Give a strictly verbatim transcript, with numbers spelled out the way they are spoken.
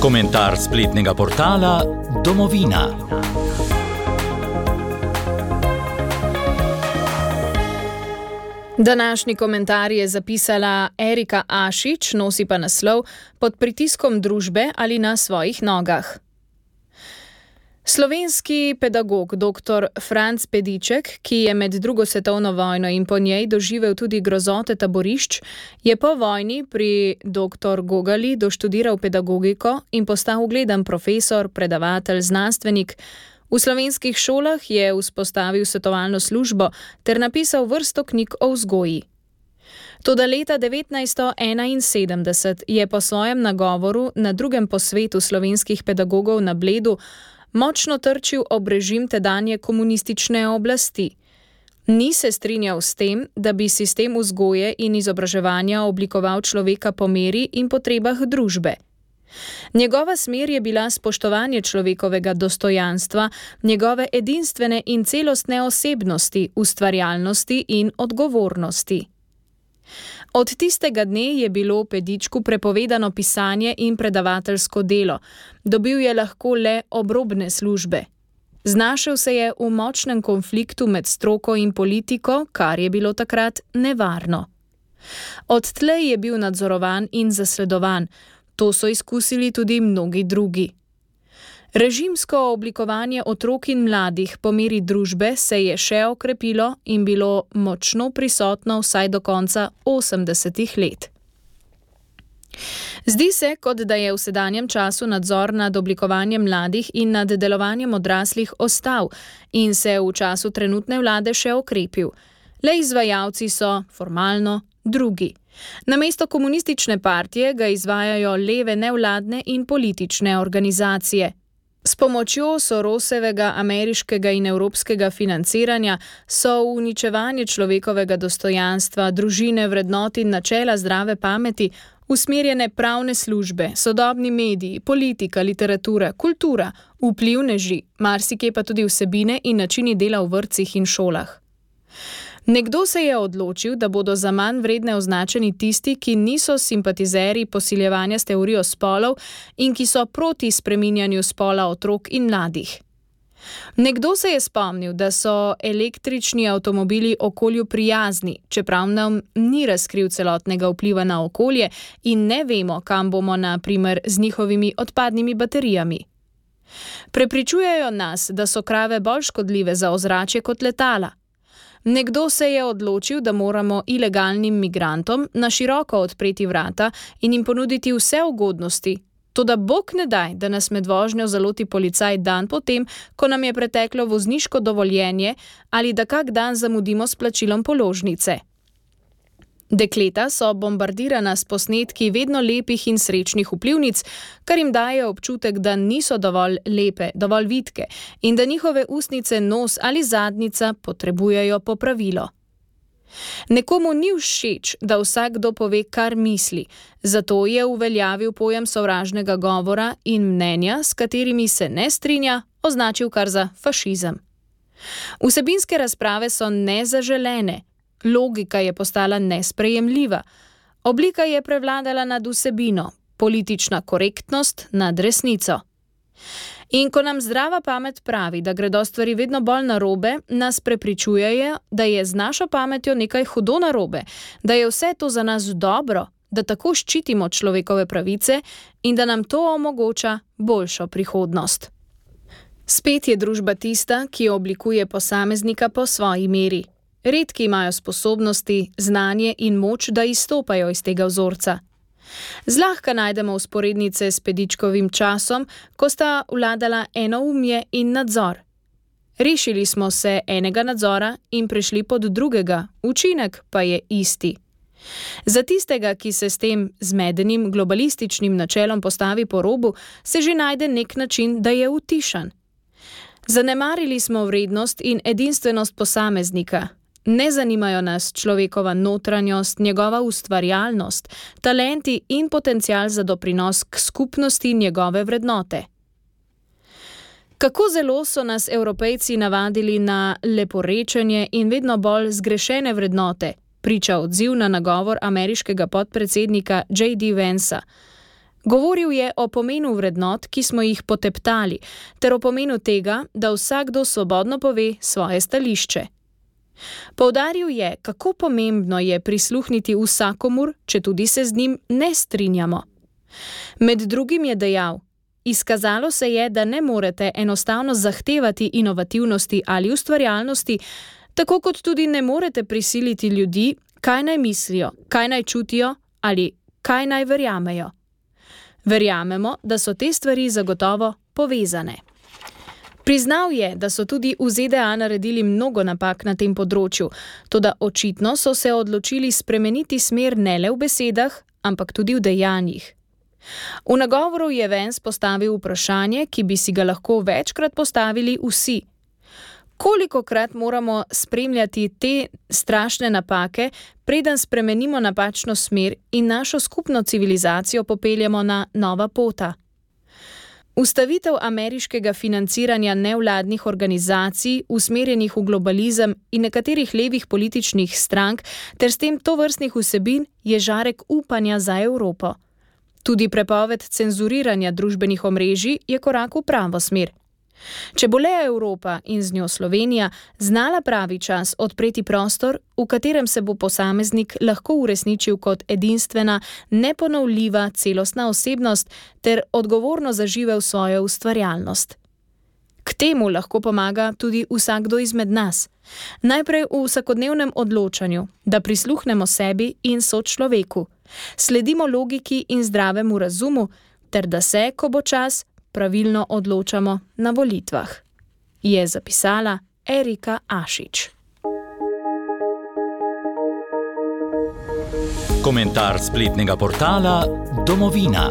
Komentar spletnega portala Domovina. Današnji komentar je zapisala Erika Ašič, nosi pa naslov Pod pritiskom družbe ali na svojih nogah. Slovenski pedagog dr. Franc Pediček, ki je med drugo svetovno vojno in po njej doživel tudi grozote taborišč, je po vojni pri doktor Gogali doštudiral pedagogiko in postal ugleden profesor, predavatelj, znanstvenik. V slovenskih šolah je vzpostavil svetovalno službo ter napisal vrsto knjig o vzgoji. Toda leta devetnajststo enainsedemdeset je po svojem nagovoru na drugem posvetu slovenskih pedagogov na Bledu močno trčil ob režim tedanje komunistične oblasti. Ni se strinjal s tem, da bi sistem vzgoje in izobraževanja oblikoval človeka po meri in potrebah družbe. Njegova smer je bila spoštovanje človekovega dostojanstva, njegove edinstvene in celostne osebnosti, ustvarjalnosti in odgovornosti. Od tistega dne je bilo Pedičku prepovedano pisanje in predavateljsko delo, dobil je lahko le obrobne službe. Znašel se je v močnem konfliktu med stroko in politiko, kar je bilo takrat nevarno. Odtlej je bil nadzorovan in zasledovan, to so izkusili tudi mnogi drugi. Režimsko oblikovanje otrok in mladih po meri družbe se je še okrepilo in bilo močno prisotno vsaj do konca osemdesetih let. Zdi se, kot da je v sedanjem času nadzor nad oblikovanjem mladih in nad delovanjem odraslih ostal in se v času trenutne vlade še okrepil. Le izvajalci so, formalno, drugi. Namesto komunistične partije ga izvajajo leve nevladne in politične organizacije. S pomočjo Sorosevega ameriškega in evropskega financiranja so v uničevanje človekovega dostojanstva, družine, vrednot in načela zdrave pameti usmerjene pravne službe, sodobni mediji, politika, literatura, kultura, vplivneži, marsikje pa tudi vsebine in načini dela v vrtcih in šolah. Nekdo se je odločil, da bodo za manj vredne označeni tisti, ki niso simpatizerji posiljevanja s teorijo spolov in ki so proti spreminjanju spola otrok in mladih. Nekdo se je spomnil, da so električni avtomobili okolju prijazni, čeprav nam ni razkril celotnega vpliva na okolje in ne vemo, kam bomo na primer z njihovimi odpadnimi baterijami. Prepričujejo nas, da so krave bolj škodljive za ozračje kot letala. Nekdo se je odločil, da moramo ilegalnim migrantom na široko odpreti vrata in jim ponuditi vse ugodnosti. Toda bog ne daj, da nas med vožnjo zaloti policaj dan potem, ko nam je preteklo vozniško dovoljenje ali da kak dan zamudimo s plačilom položnice. Dekleta so bombardirana s posnetki vedno lepih in srečnih vplivnic, kar jim daje občutek, da niso dovolj lepe, dovolj vitke in da njihove ustnice, nos ali zadnjica potrebujejo popravilo. Nekomu ni všeč, da vsakdo pove, kar misli, zato je uveljavil pojem sovražnega govora in mnenja, s katerimi se ne strinja, označil kar za fašizem. Vsebinske razprave so nezaželene, logika je postala nesprejemljiva, oblika je prevladala nad vsebino, politična korektnost nad resnico. In ko nam zdrava pamet pravi, da gredo stvari vedno bolj narobe, nas prepričujejo, da je z našo pametjo nekaj hudo narobe, da je vse to za nas dobro, da tako ščitimo človekove pravice in da nam to omogoča boljšo prihodnost. Spet je družba tista, ki oblikuje posameznika po svoji meri. Redki imajo sposobnosti, znanje in moč, da izstopajo iz tega vzorca. Zlahka najdemo vzporednice s Pedičkovim časom, ko sta vladala enoumje in nadzor. Rešili smo se enega nadzora in prešli pod drugega, učinek pa je isti. Za tistega, ki se s tem zmedenim globalističnim načelom postavi po robu, se že najde nek način, da je utišan. Zanemarili smo vrednost in edinstvenost posameznika. Ne zanimajo nas človekova notranjost, njegova ustvarjalnost, talenti in potencial za doprinos k skupnosti njegove vrednote. Kako zelo so nas Evropejci navadili na leporečenje in vedno bolj zgrešene vrednote, priča odziv na nagovor ameriškega podpredsednika J D Vansa. Govoril je o pomenu vrednot, ki smo jih poteptali, ter o pomenu tega, da vsakdo svobodno pove svoje stališče. Poudaril je, kako pomembno je prisluhniti vsakomur, če tudi se z njim ne strinjamo. Med drugim je dejal: izkazalo se je, da ne morete enostavno zahtevati inovativnosti ali ustvarjalnosti, tako kot tudi ne morete prisiliti ljudi, kaj naj mislijo, kaj naj čutijo ali kaj naj verjamejo. Verjamemo, da so te stvari zagotovo povezane. Priznal je, da so tudi v Z D A naredili mnogo napak na tem področju, toda očitno so se odločili spremeniti smer ne le v besedah, ampak tudi v dejanjih. V nagovoru je Vance postavil vprašanje, ki bi si ga lahko večkrat postavili vsi. Kolikokrat moramo spremljati te strašne napake, preden spremenimo napačno smer in našo skupno civilizacijo popeljemo na nova pota? Ustavitev ameriškega financiranja nevladnih organizacij, usmerjenih v globalizem in nekaterih levih političnih strank ter s tem tovrstnih vsebin je žarek upanja za Evropo. Tudi prepoved cenzuriranja družbenih omrežij je korak v pravo smer. Če bo le Evropa in z njo Slovenija znala pravi čas odpreti prostor, v katerem se bo posameznik lahko uresničil kot edinstvena, neponovljiva celostna osebnost ter odgovorno zaživel svojo ustvarjalnost. K temu lahko pomaga tudi vsakdo izmed nas. Najprej v vsakodnevnem odločanju, da prisluhnemo sebi in sočloveku, sledimo logiki in zdravemu razumu, ter da se, ko bo čas, pravilno odločamo na volitvah, je zapisala Erika Ašič. Komentar spletnega portala Domovina.